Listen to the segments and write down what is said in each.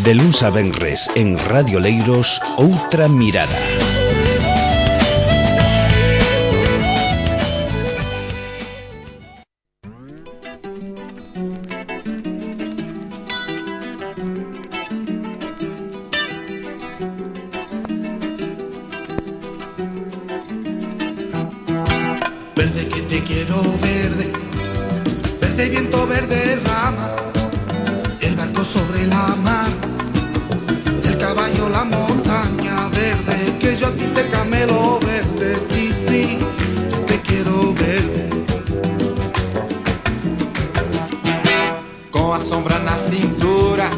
De luns a venres en Radio Leiros, Outra Mirada. Verde que te quiero verde, verde viento, verde ramas, el barco sobre la mar, el caballo, la montaña verde, que yo a ti te camelo verde, sí, sí, yo te quiero verde. Com a sombra na cintura,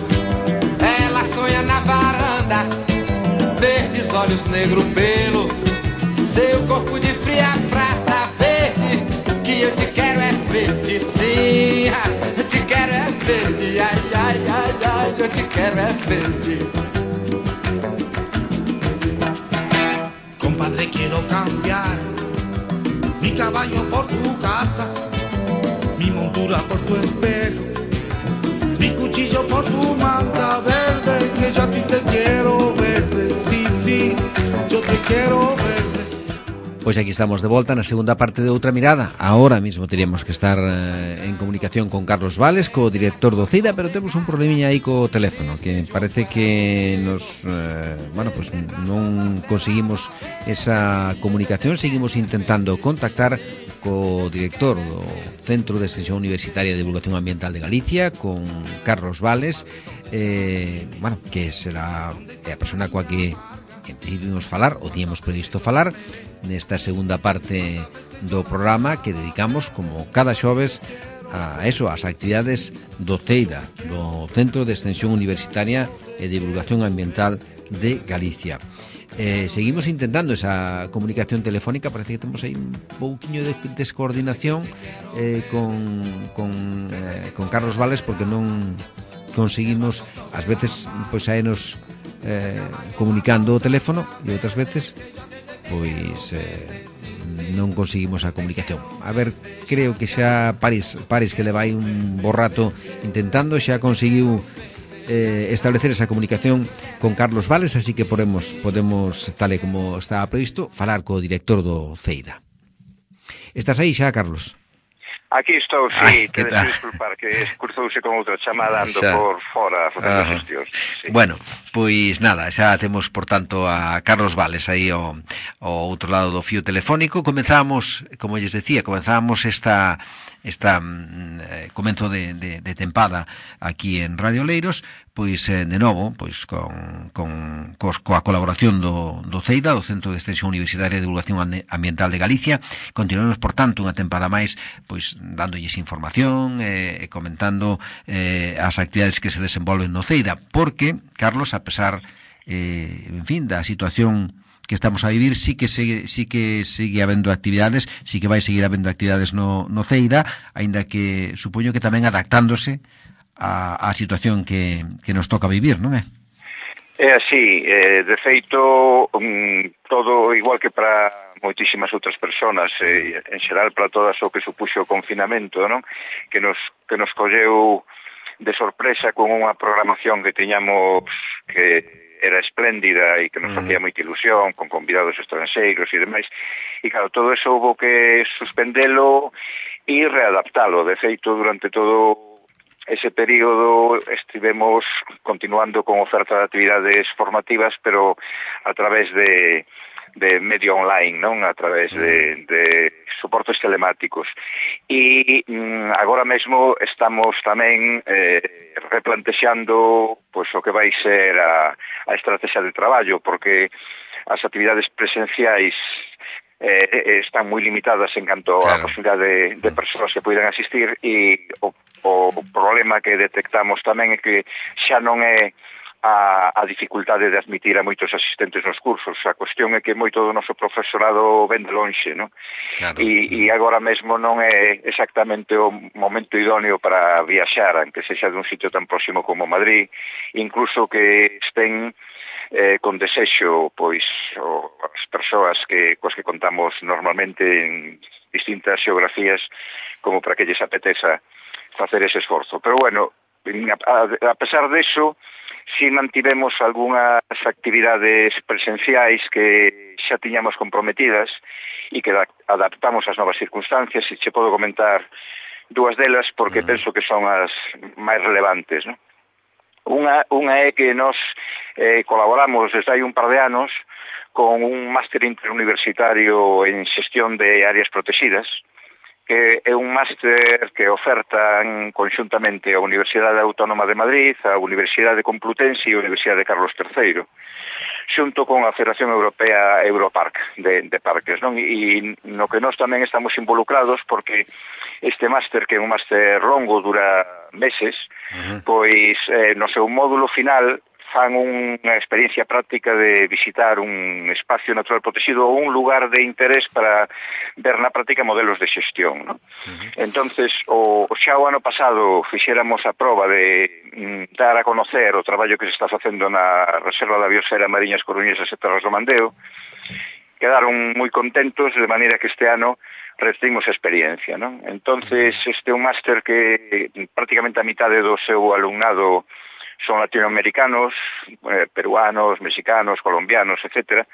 ela sonha na varanda, verdes olhos, negro pelo, seu corpo de fria prata verde, que eu te quero é verde, sim, eu te quero é verde, ai, ai, ai, ai, eu te quero é verde. Compadre, quiero cambiar mi caballo por tu casa, mi montura por tu espejo, mi cuchillo por tu manta verde, que yo a ti te quiero verde, sí, sí, yo te quiero verde. Pois aquí estamos de volta na segunda parte de Outra Mirada. Ahora mismo teríamos que estar en comunicación con Carlos Vales, co director do CEIDA, pero temos un problemiña aí co teléfono, que parece que nos, pues non conseguimos esa comunicación. Seguimos intentando contactar co director do Centro de Extensión Universitaria de Divulgación Ambiental de Galicia, con Carlos Vales, que será a persona coa que en principio imos falar, ou tiñamos previsto falar, nesta segunda parte do programa que dedicamos, como cada xoves, a eso, as actividades do CEIDA, do Centro de Extensión Universitaria e Divulgación Ambiental de Galicia. Seguimos intentando esa comunicación telefónica. Parece que temos aí un pouquiño de descoordinación con Carlos Vales, porque non conseguimos, ás veces, pois aenos comunicando o teléfono, e outras veces pois non conseguimos a comunicación. A ver, creo que xa Paris que leva aí un bo rato intentando, xa conseguiu establecer esa comunicación con Carlos Vales, así que podemos, tal e como estaba previsto, falar co director do CEIDA. Estás aí xa, Carlos? Aquí estou, sí, te desculpar que cruzouse con outra chamada, ando por fora facendo xestións. Sí. Bueno, pois nada, xa temos, por tanto, a Carlos Vales aí ao outro lado do fío telefónico. Comezamos, como lles decía, esta comenzo de tempada aquí en Radio Leiros, pois de novo, pois coa colaboración do CEIDA, do Centro de Extensión Universitaria de Divulgación Ambiental de Galicia. Continuamos, por tanto, unha tempada máis, pois dándolles información e comentando as actividades que se desenvolven no CEIDA, porque, Carlos, a pesar, en fin, da situación que estamos a vivir, sí que sigue habendo actividades, sí que vai seguir habendo actividades no CEIDA, aínda que supoño que tamén adaptándose á situación que nos toca vivir, non é? É así, de feito, todo igual que para moitísimas outras persoas, en xeral para todas o que supuxo o confinamento, non? Que nos colleu de sorpresa con unha programación que tiñamos que era espléndida e que nos facía moita ilusión, con convidados estranxeiros e demais, e claro, todo eso houve que suspendelo e readaptalo. De feito, durante todo ese período estivemos continuando con oferta de actividades formativas, pero a través de medio online, non? A través de soportes telemáticos. E agora mesmo estamos tamén replantexando pois o que vai ser a estrategia de traballo, porque as actividades presenciais están moi limitadas en canto a posibilidade de persoas que poidan asistir, e o problema que detectamos tamén é que xa non é a dificultade de admitir a moitos asistentes nos cursos. A cuestión é que moito do noso profesorado ven de lonxe, non? Claro. E agora mesmo non é exactamente o momento idóneo para viaxar, aunque sexa dun sitio tan próximo como Madrid, incluso que estén con desexo, pois, as persoas coas que contamos normalmente en distintas xeografías, como para que lles apeteza facer ese esforzo. Pero bueno, a pesar deso, si mantivemos algunhas actividades presenciais que xa tiñamos comprometidas e que adaptamos ás novas circunstancias, e che podo comentar dúas delas porque penso que son as máis relevantes, non? Unha é que nós colaboramos desde hai un par de anos con un máster interuniversitario en xestión de áreas protegidas, que é un máster que ofertan conxuntamente a Universidade Autónoma de Madrid, a Universidade Complutense e a Universidade Carlos III, xunto con a Federación Europea Europark de parques, non? E no que nós tamén estamos involucrados porque este máster, que é un máster longo, dura meses, pois no seu módulo final fan unha experiencia práctica de visitar un espacio natural protegido ou un lugar de interés para ver na práctica modelos de xestión, non? Entonces, xa o ano pasado fixéramos a proba de dar a conocer o traballo que se está facendo na Reserva da Biosfera Mariñas Coruñesas e Terras do Mandeo. Quedaron moi contentos, de maneira que este ano repetimos a experiencia, non? Entonces, este é un máster que prácticamente a mitade do seu alumnado son latinoamericanos, peruanos, mexicanos, colombianos, etcétera.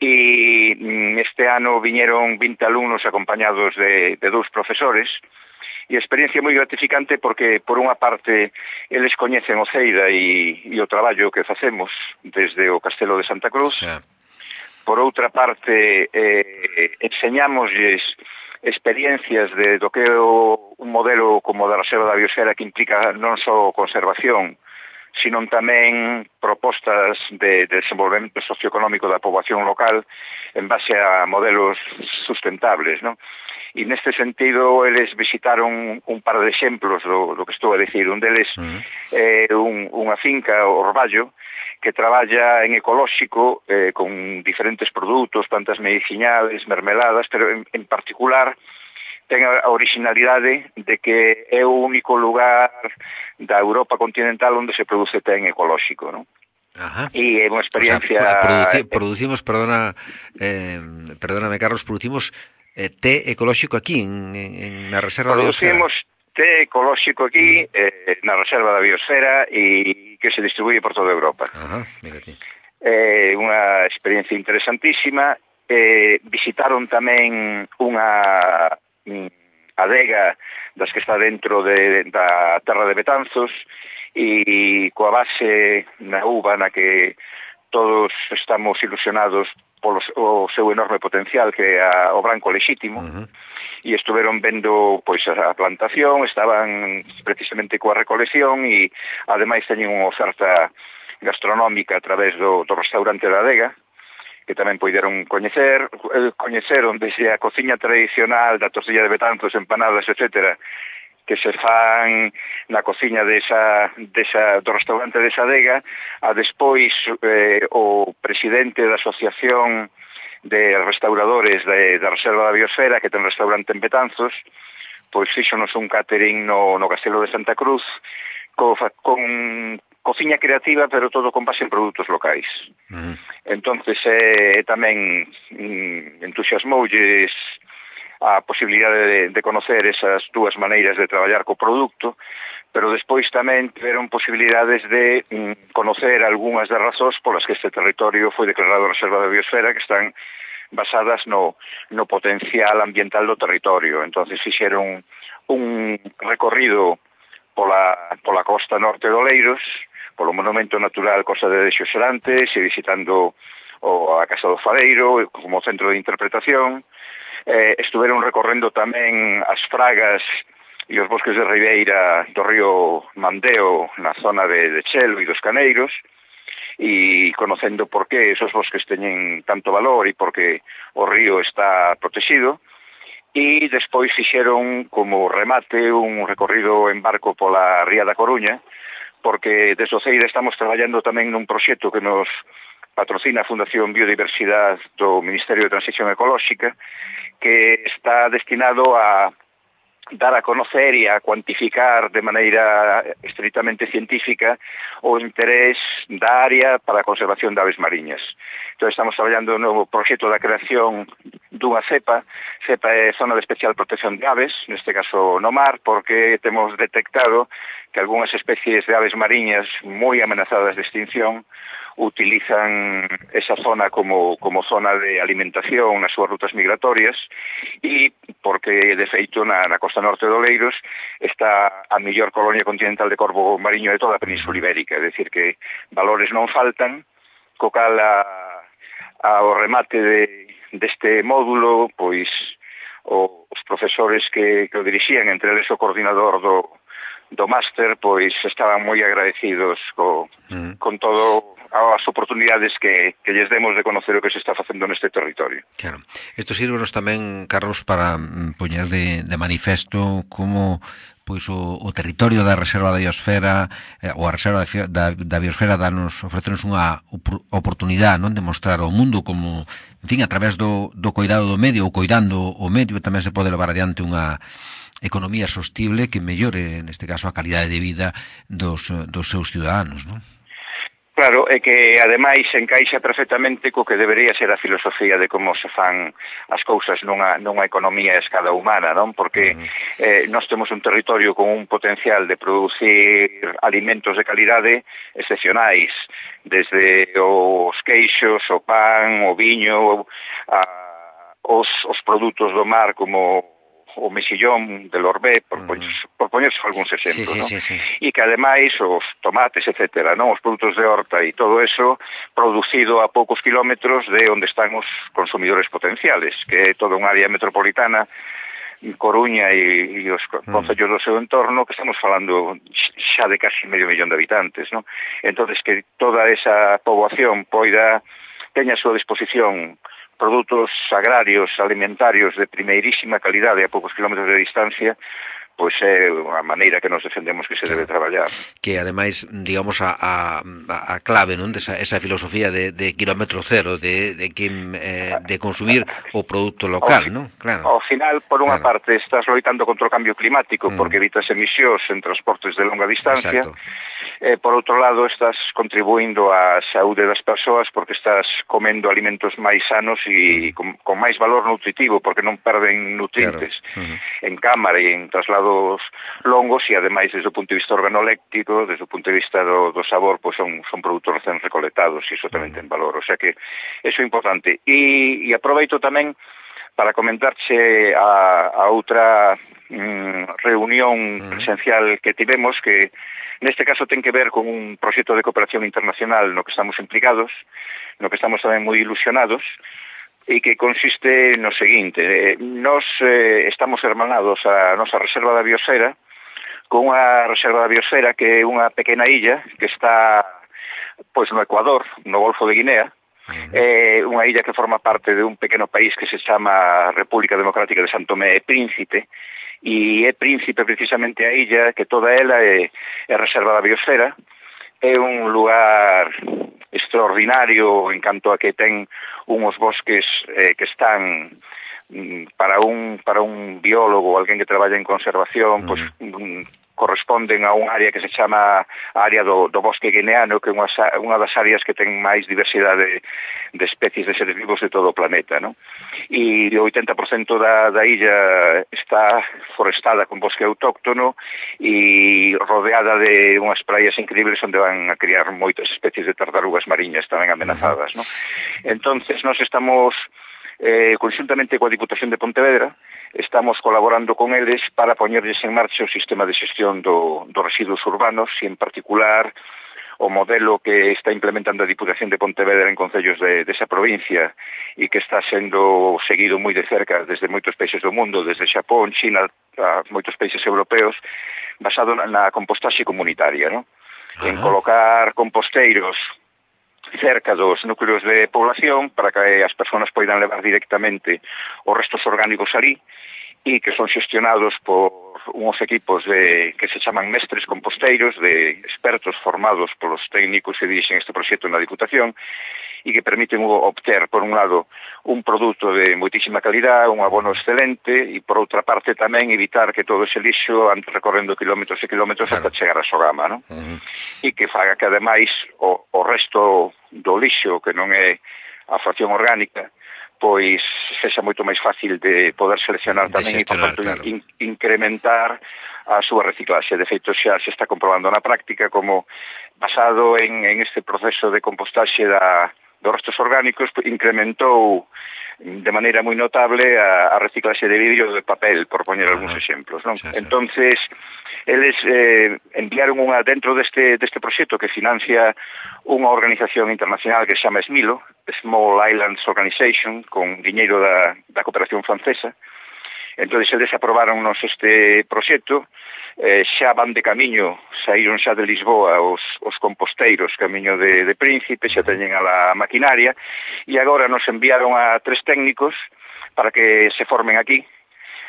E este ano viñeron 20 alumnos acompañados de dous profesores, e a experiencia moi gratificante porque, por unha parte, eles coñecen o Ceida e o traballo que facemos desde o Castelo de Santa Cruz. Por outra parte, enseñámoslles experiencias do que é un modelo como da Reserva da Biosfera, que implica non só conservación, sino tamén propostas de desenvolvemento socioeconómico da poboación local en base a modelos sustentables, non? E neste sentido, eles visitaron un par de exemplos do que estou a dicir. Un deles é unha finca, o Orballo, que traballa en ecolóxico con diferentes produtos, plantas medicinales, mermeladas, pero en particular ten a originalidade de que é o único lugar da Europa continental onde se produce té en ecolóxico, non? E é unha experiencia... O sea, producimos, perdóname, Carlos, producimos té ecolóxico aquí, en la Reserva da Biosfera. Producimos té ecolóxico aquí, na Reserva da Biosfera, e que se distribuye por toda Europa. Mírate. Unha experiencia interesantísima. Visitaron tamén unha adega das que está dentro da terra de Betanzos, e coa base na uva na que todos estamos ilusionados polo seu enorme potencial, que é o branco lexítimo, e estuveron vendo pois a plantación, estaban precisamente coa recolección, e ademais teñen unha oferta gastronómica a través do restaurante da adega, que tamén poideron coñeceron desde a cociña tradicional da tortilla de Betanzos, empanadas, etcétera, que se fan na cociña do restaurante desa adega, a despois o presidente da Asociación de Restauradores da Reserva da Biosfera, que ten restaurante en Betanzos, pois fíxonos un catering no Castelo de Santa Cruz, con cociña creativa, pero todo con base en produtos locais. Entonces tamén entusiasmoulles a posibilidade de conocer esas dúas maneiras de traballar co produto, pero despois tamén tiveron posibilidades de conocer algunhas das razóns polas que este territorio foi declarado Reserva da Biosfera, que están basadas no potencial ambiental do territorio. Entonces fixeron un recorrido pola costa norte do Oleiros, polo monumento natural Costa de Xosrantes, e visitando a Casa do Fadeiro como centro de interpretación. Estuveron recorrendo tamén as fragas e os bosques de ribeira do río Mandeo na zona de Chelo e dos Caneiros, e conocendo por que esos bosques teñen tanto valor e por que o río está protegido. E despois fixeron como remate un recorrido en barco pola Ría da Coruña, porque desde o CEIDA estamos traballando tamén nun proxecto que nos patrocina a Fundación Biodiversidade do Ministerio de Transición Ecolóxica, que está destinado a dar a conocer e a cuantificar de maneira estritamente científica o interés da área para a conservación de aves mariñas. Entón, estamos traballando no proxecto da creación dunha cepa é Zona de Especial Protección de Aves, neste caso no mar, porque temos detectado que algunhas especies de aves mariñas moi amenazadas de extinción utilizan esa zona como zona de alimentación nas súas rutas migratorias e porque, de feito, na costa norte do Oleiros está a mellor colonia continental de corvo mariño de toda a Península Ibérica, é dicir que valores non faltan, co cal ao remate deste módulo, pois os profesores que o dirixían, entre eles o coordinador do máster, pois estaban moi agradecidos con todo as oportunidades que lles demos de conocer o que se está facendo neste territorio. Claro. Isto sirvenos tamén, Carlos, para poñer de manifesto como pois o territorio da Reserva da Biosfera ou a Reserva da Biosfera ofrecenos unha oportunidade, non, de mostrar ao mundo como, en fin, a través do cuidado do medio ou coidando o medio tamén se pode levar adiante unha economía sostible que mellore, neste caso, a calidade de vida dos seus ciudadanos, non? Claro, é que ademais encaixa perfectamente co que debería ser a filosofía de como se fan as cousas nunha economía a escala humana, non? Porque nós temos un territorio con un potencial de producir alimentos de calidade excepcionais, desde os queixos, o pan, o viño, os produtos do mar como o mexillón del Orbé, por poñerse algúns exemplos, non? E que ademais os tomates, etcétera, non, os produtos de horta e todo eso producido a poucos kilómetros de onde están os consumidores potenciales, que é toda unha área metropolitana, Coruña e os concellos do seu entorno, que estamos falando xa de casi medio millón de habitantes, non? Entonces, que toda esa poboación teña a súa disposición produtos agrarios, alimentarios de primeirísima calidade a poucos kilómetros de distancia, pois é a maneira que nos defendemos que se debe traballar. Que, ademais, digamos, a clave, non, esa filosofía de kilómetro cero, de consumir o produto local, non? Claro. Ao final, por unha parte, estás loitando contra o cambio climático, porque evitas emisións en transportes de longa distancia. Por outro lado, estás contribuindo á saúde das persoas porque estás comendo alimentos máis sanos e con máis valor nutritivo, porque non perden nutrientes en cámara e en traslado longos e ademais desde o punto de vista organoléptico, desde o punto de vista do sabor, pois son produtos recén recoletados e iso tamén ten valor, o sea que eso é importante. E aproveito tamén para comentarche a outra reunión presencial que tivemos, que neste caso ten que ver con un proxecto de cooperación internacional no que estamos implicados, no que estamos tamén moi ilusionados, e que consiste no seguinte: nós estamos hermanados a nosa Reserva da Biosfera con unha Reserva da Biosfera que é unha pequena illa que está pois no Ecuador, no Golfo de Guinea. É unha illa que forma parte de un pequeno país que se chama República Democrática de São Tomé e Príncipe, e é Príncipe precisamente a illa que toda ela é Reserva da Biosfera. É un lugar extraordinario en canto a que ten unhos bosques que están para un biólogo ou alguén que traballa en conservación, pois corresponden a un área que se chama a área do bosque guineano, que é unha das áreas que ten máis diversidade de especies de seres vivos de todo o planeta, non? E o 80% da illa está forestada con bosque autóctono e rodeada de unhas praias increíbles onde van a criar moitas especies de tartarugas mariñas tamén amenazadas, non? Entonces, nós estamos conxuntamente coa Diputación de Pontevedra, estamos colaborando con eles para poñerlles en marcha o sistema de xestión dos residuos urbanos e, en particular, o modelo que está implementando a Diputación de Pontevedra en concellos desa provincia e que está sendo seguido moi de cerca desde moitos países do mundo, desde Xapón, China, a moitos países europeos, basado na compostaxe comunitaria, non? En colocar composteiros cerca dos núcleos de población para que as persoas poidan levar directamente os restos orgánicos ali e que son xestionados por unhos equipos que se chaman mestres composteiros, de expertos formados polos técnicos que dirixen este proxecto na Diputación e que permiten obter, por un lado, un produto de moitísima calidad, un abono excelente, e por outra parte tamén evitar que todo ese lixo ande recorrendo kilómetros e kilómetros ata chegar a Sogama, non? E que faga que, ademais, o resto do lixo, que non é a fracción orgánica, pois sexa moito máis fácil de poder seleccionar tamén e, por tanto, incrementar a súa reciclaxe. De feito, xa se está comprobando na práctica como, basado en este proceso de compostaxe dos restos orgánicos, incrementou de maneira moi notable a reciclaxe de vidrio de papel, por poñer algúns exemplos, non? Entonces, eles enviaron dentro deste proxecto que financia unha organización internacional que se chama SMILO, Small Islands Organization, con diñeiro da cooperación francesa. Entón, eles aprobaronnos este proxecto, xa van de camiño, saíron xa de Lisboa os composteiros camiño de Príncipe, xa teñen a la maquinaria, e agora nos enviaron a 3 técnicos para que se formen aquí,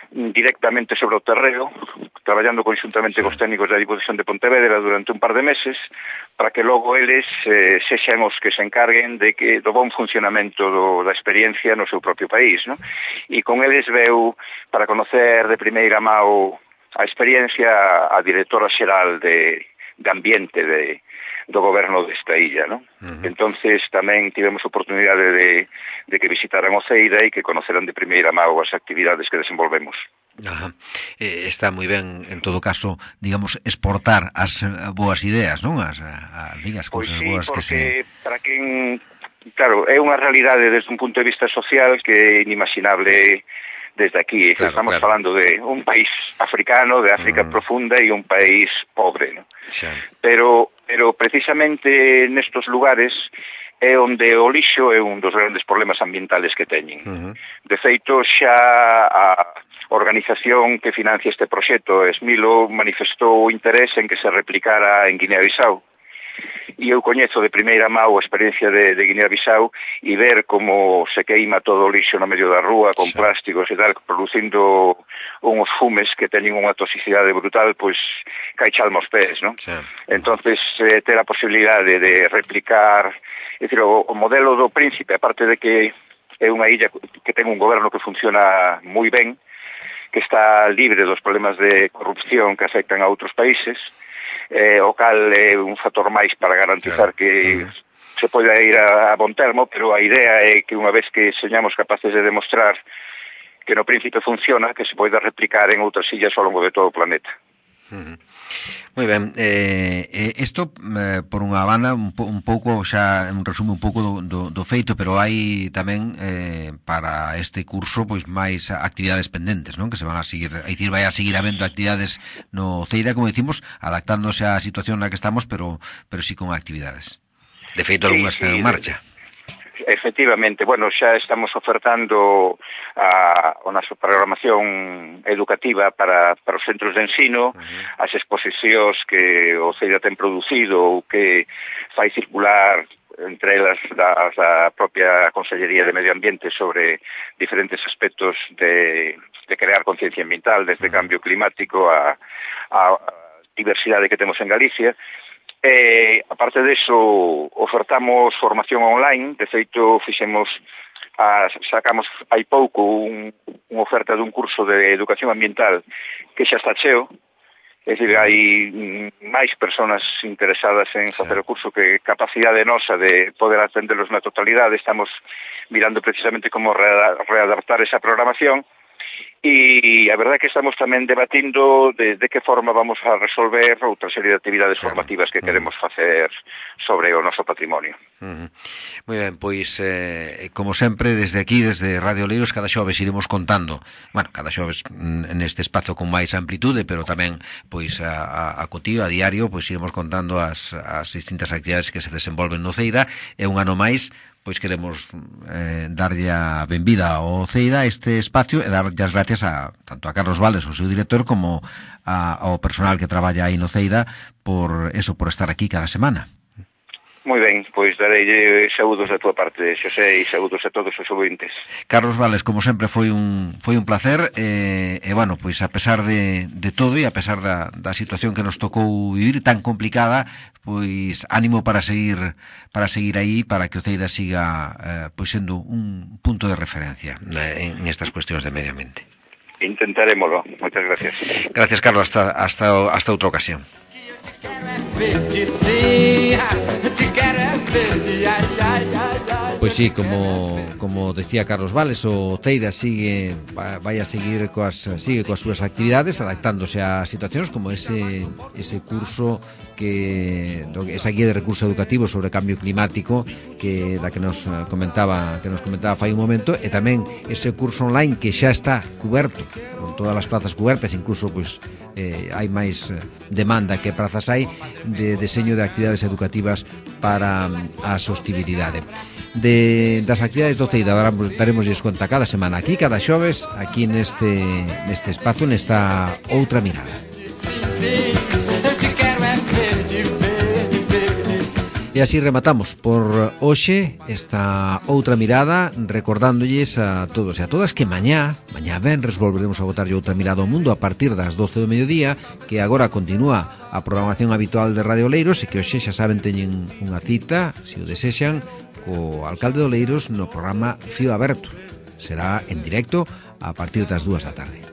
directamente sobre o terreo, traballando conxuntamente cos técnicos da Diputación de Pontevedra durante un par de meses, para que logo eles sexan os que se encarguen do bon funcionamento da experiencia no seu propio país, non? E con eles veu, para conocer de primeira mão a experiencia, a directora xeral de ambiente do goberno desta illa, non? Entonces tamén tivemos oportunidade de que visitaran Oceira e que conoceran de primeira mão as actividades que desenvolvemos. Está moi ben, en todo caso, digamos, exportar as boas ideas, non? As cousas boas que se... Para quen, claro, é unha realidade desde un punto de vista social que é inimaginable desde aquí. Claro, estamos falando de un país africano, de África profunda, e un país pobre, ¿no? Pero precisamente nestos lugares é onde o lixo é un dos grandes problemas ambientales que teñen. De feito, xa a organización que financia este proxecto, SMILO, manifestou interés en que se replicara en Guinea-Bissau. E eu coñezo de primeira mão a experiencia de Guinea-Bissau e ver como se queima todo o lixo no medio da rúa con plásticos e tal, producindo unhos fumes que teñen unha toxicidade brutal, pois cai chalma aos pés, non? Entonces, ter a posibilidade de replicar, é dicir, o modelo do Príncipe, aparte de que é unha illa que ten un goberno que funciona moi ben, que está libre dos problemas de corrupción que afectan a outros países, o cal é un factor máis para garantizar que se poida ir a bon termo, pero a idea é que unha vez que señamos capaces de demostrar que no Príncipe funciona, que se poida replicar en outras illas ao longo de todo o planeta. Moi ben, isto por unha banda un pouco xa un resumo un pouco do feito, pero hai tamén para este curso pois máis actividades pendentes, non? Que se van a seguir, é dicir, vai a seguir habendo actividades no Ceira, como dicimos, adaptándose á situación na que estamos, pero sí con actividades. De feito, algunhas están en marcha. Efectivamente, bueno, xa estamos ofertando a nosa programación educativa para os centros de ensino, as exposicións que o Ceira ten producido ou que fai circular entre elas da propia Consellería de Medio Ambiente sobre diferentes aspectos de crear conciencia ambiental, desde cambio climático a diversidade que temos en Galicia. Aparte deso, ofertamos formación online. De feito, sacamos hai pouco unha oferta dun curso de educación ambiental que xa está cheo. É dicir, hai máis persoas interesadas en facer o curso que capacidade nosa de poder atenderlos na totalidade. Estamos mirando precisamente como readaptar esa programación. E a verdade é que estamos tamén debatindo de que forma vamos a resolver outra serie de actividades formativas que queremos facer sobre o noso patrimonio. Moi ben, pois como sempre desde aquí, desde Radio Oleiros, cada xoves iremos contando, bueno, cada xoves neste espazo con máis amplitude, pero tamén pois a cotío, a diario, pois iremos contando as distintas actividades que se desenvolven no Ceira. E un ano máis pois queremos darlle a benvida ao Ceira este espacio e darlle as gracias tanto a Carlos Vales, o seu director, como ao personal que traballa aí no Ceira por estar aquí cada semana. Moi ben, pois dareille saúdos da túa parte, Xosé, e saúdos a todos os ouvintes. Carlos Vales, como sempre, foi un placer, e bueno, pois a pesar de todo e a pesar da situación que nos tocou vivir tan complicada, pois ánimo para seguir aí, para que o Ceida siga pois sendo un punto de referencia en estas cuestións de medio ambiente. Intentaremoslo. Moitas gracias. Gracias, Carlos, hasta outra ocasión. Pois sí, como decía Carlos Vales, o Teida sigue coas súas actividades, adaptándose a situacións como ese curso esa guía de recursos educativos sobre cambio climático que nos comentaba fai un momento, e tamén ese curso online que xa está cuberto, con todas as plazas cubertas, incluso pois hai máis demanda que prazas hai, de deseño de actividades educativas para a sostibilidade. Das actividades do Ceida daremosles conta cada semana aquí, cada xoves, aquí neste espazo, nesta outra mirada. E así rematamos por hoxe esta outra mirada, recordándolles a todos e a todas que mañá venres volveremos a botarlle outra mirada ao mundo a partir das 12 do mediodía, que agora continúa a programación habitual de Radio Oleiros, e que hoxe xa saben teñen unha cita, se o desexan, co alcalde de Oleiros no programa Fío Aberto. Será en directo a partir das 2 da tarde.